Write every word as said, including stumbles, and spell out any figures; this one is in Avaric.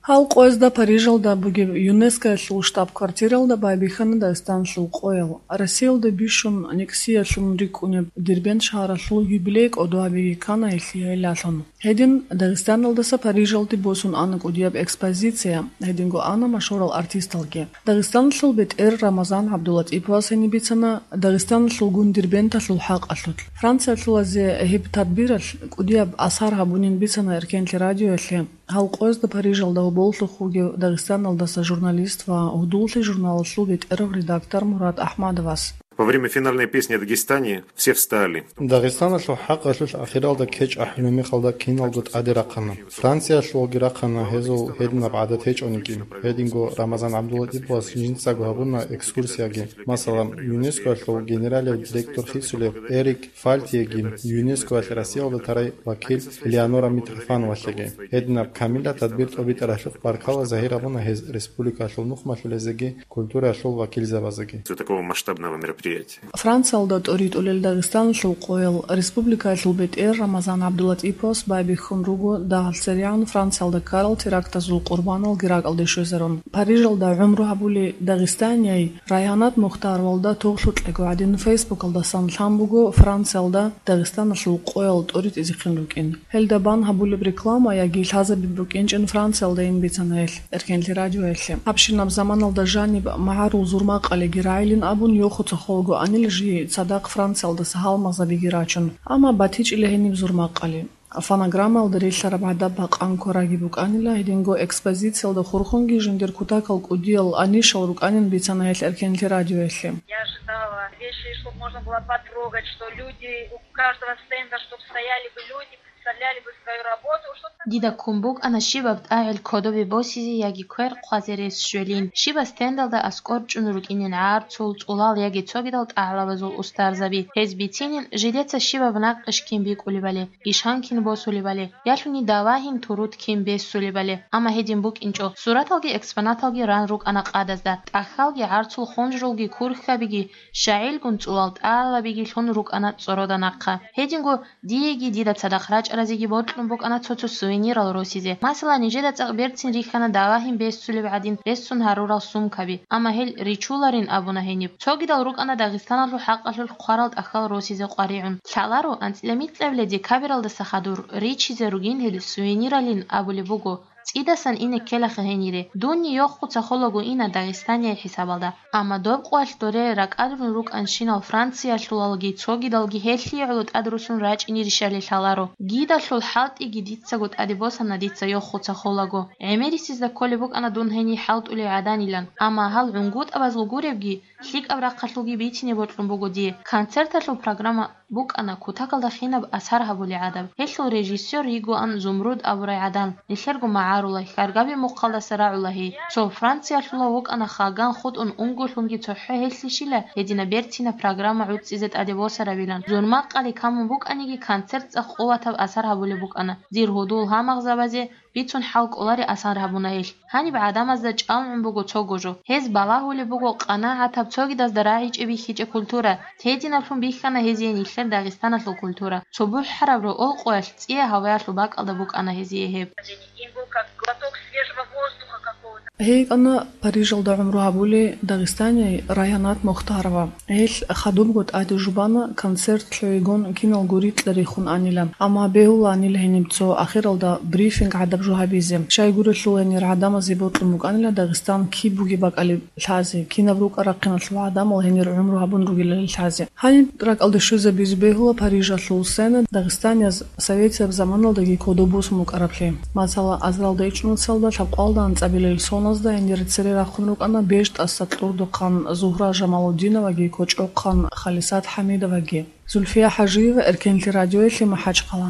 Гьал къоязда Парижалда бугеб ЮНЕСКОялъул штаб-квартиралда байбихьана Дагъистаналъул къоял. Россиялда бищун нексиялъун рикӀкӀунеб Дербент шагьаралъул юбилей кӀодо гьабиги ккана гьелъие гӀиллалъун. Гьедин Дагъистаналдаса Парижалде босун ана кӀудияб экспозиция, гьединго ана машгьурал артисталги. Дагъистаналъул бетӀер Рамазан ГӀабдулатӀиповас гьениб бицана Дагъистаналъулгун Дербенталъул хӀакъалъулъ. Франциялъулазе гьеб тадбиралъ кӀудияб асар гьабунин бицана Эркенлъи радиоялъе. Гьал къоязда Парижалда гьоболлъухъ вугев Дагъистаналдаса журналист ва «Гьудуллъи» журналалъул бетӀерав редактор Мурад Ахмадовас. Во время финальной песни о Дагестане все встали. Дагъистаналъул хӀакъалъулъ ахиралда кечӀ ахӀулеб мехалда киналго тӀаде рахъана. Франциялъулги рахъана гьезул гьединаб гӀадат гьечӀониги. Гьединго Рамазан ГӀабдулатӀиповас жинцаго гьабуна экскурсияги. Масала, ЮНЕСКОялъул генералияв директор хисулев Эрик Фальтиеги, ЮНЕСКОялъ Россиялда тарай вакил Элеонора Митрофановалъеги. Гьединаб камилаб тадбир тӀобитӀаралъухъ баркала загьир гьабуна гьез республикалъул нухмалъулезеги культураялъул вакилзабазеги. Из-за такого масштабного мероприятия. Франциялда тӀоритӀулел Дагъистаналъул къоял республикаялъул бетӀер Рамазан ГӀабдулатӀиповас байбихьун руго дагьалсеригӀан Франциялда ккарал терактазул къурбаналги ракӀалде щвезарун. Парижалда гӀумру гьабули Дагъистанияй Райгьанат Мухтаровалда тохлъукьего гӀадин Фейсбукалдасан лъан буго Франциялда Дагъистаналъул къоял тӀоритӀизехъин рукӀин. Гьелда бан гьабулеб реклама яги лъазабиб букӀинчӀин Франциялдайин бицана гьелъ, Эркенлъи радиоялъе. Гьабщинаб заманалда жаниб магӀарул зурмакъалиги рагӀилин абун, йохуца холаго анила жий цадахъ Франциялдаса гьалмагъзабиги рачун. Амма батичӀила гьениб зурмакъали. Фонограммаялда релълъараб гӀадаб бакъан кквараги букӀанила, гьединго экспозициялда хурхунги жиндир кутакал кӀудиял анищал рукӀанин бицана гьелъ Эркенлъи радиоялъе. Я ожидала вещи, чтоб можно было потрогать, что люди у каждого стенда, чтоб стояли бы люди, представляли бы свою работу, что Дида ккун букӀана щибаб тӀагӀел кодобе босизе яги квер хъвазе рес щвелин, щибаб стендалда аскӀор чӀун рукӀинин гӀарцул, цӀулал яги цогидал тӀагӀлабазул устарзаби. Гьез бицинин, жидеца щибаб накъиш кин бикӀулебали, ишан кин босулебали, ялъуни давагьин турут кин бессулебали. Амма гьедин букӀинчӀо, сураталги экспонаталги ран рукӀана къадазда, тӀахьалги гӀарцул хунжрулги курхьабиги, щагӀилгун цӀулал тӀагӀлабиги лъун рукӀана цӀорода нахъа. Гьединго диеги дида цадахъ рачӀаразеги бокьун букӀана цо-цо сувенирал росизе. Масала, нижеда цӀакъ берцин рихьана давагьин бессулеб гӀадин рессун гьарурал сумкаби, амма гьел ричуларин абуна гьениб. Цогидал рукӀана Дагъистаналъул хӀакъалъулъ хъварал тӀахьал росизе къваригӀун. Лъаларо, анцӀила микьабилеб декабралдаса хадур ричизе ругин гьел сувениралин абулеб буго. ЦӀидасан ине ккелаха гьенире. Дунни йохуца холаго ина Дагъистания хӀисабалда. Амма доб къоялъ доре ракӀалрун рукӀанщинал Франциялъулалги цогидалги гьелъие гӀоло тӀад русун рачӀинирищали лъаларо. Гидалъул хӀалтӀиги дицаго тӀаде босана дица йохуца холаго. ГӀемерисезда кколеб букӀана дун гьенир хӀалтӀулев гӀаданилан, амма гьал гӀунгутӀабазул гуребги, лъикӀаб рахъалъулги бицине бокьун буго дие. Концерталъул программа букӀана кутакалда хинаб асар гьабулей гӀадаб. Гьелъул режиссёр йигоан Зумруд абурай гӀадан, нилъерго магӀарулай, хьаргаби мухъалдаса рагӀула гьей. Цо Франциялъула вукӀана хаган хутӀун унголъунги цохӀо гьелъищила гьедина берцина программа гӀуцӀизе тӀаде босарабилан. Зурмакъали камун букӀаниги, концерт цӀакъ къуватаб асар гьабулеб букӀана. Дир гьудул гьамагъзабазе бицун хӀал кӀолари асар гьабуна гьелъ. Гьаниб гӀадамазда чӀалгӀун буго цого жо. Гьез балагьулеб буго къанагӀатаб цогидазда рагӀичӀеб бихьичӀеб культура. Гьединаблъун бихьана гьезие нилъер Дагъистаналъул культура. Цо бухӀараб рокъоялъ цӀия гьаваялъул бакӀалда букӀана гьезие гьеб. Им был как глоток свежего воздуха какого-то. ГьейкӀана Парижалда гӀумру гьабули Дагъистанияй Райгьанат Мухтарова. Гьелъ хадубго тӀаде жубана концерт лъугӀигун киналго рикьа рихун анилан, амма бегьуланил гьениб цо ахиралда брифинг гӀадаб жо гьабизе. Щайгурелъул гьенир гӀадамазе бокьун букӀанила Дагъистан киб бугеб бакӀалеб лъазе, кинаб рукӀа-рахъиналъул гӀадамал гьенир гӀумру гьабун ругелали лъазе. Гьаниб ракӀалде щвезабизе бегьула Парижалъул сцена дагъистанияз советияб заманалдаги кодоб босун букӀараблъи. Масала, азаралда ичӀнусалда лъабкъоялда анцӀабилел соназда гьенире цере рахъун рукӀана БежтӀаса кьурдухъан Зугьра Жамалудиноваги кочӀохъан Халисат ХӀамидоваги. Зульфия ХӀажиева, Эркенлъи радиоялъе, МахӀачхъала.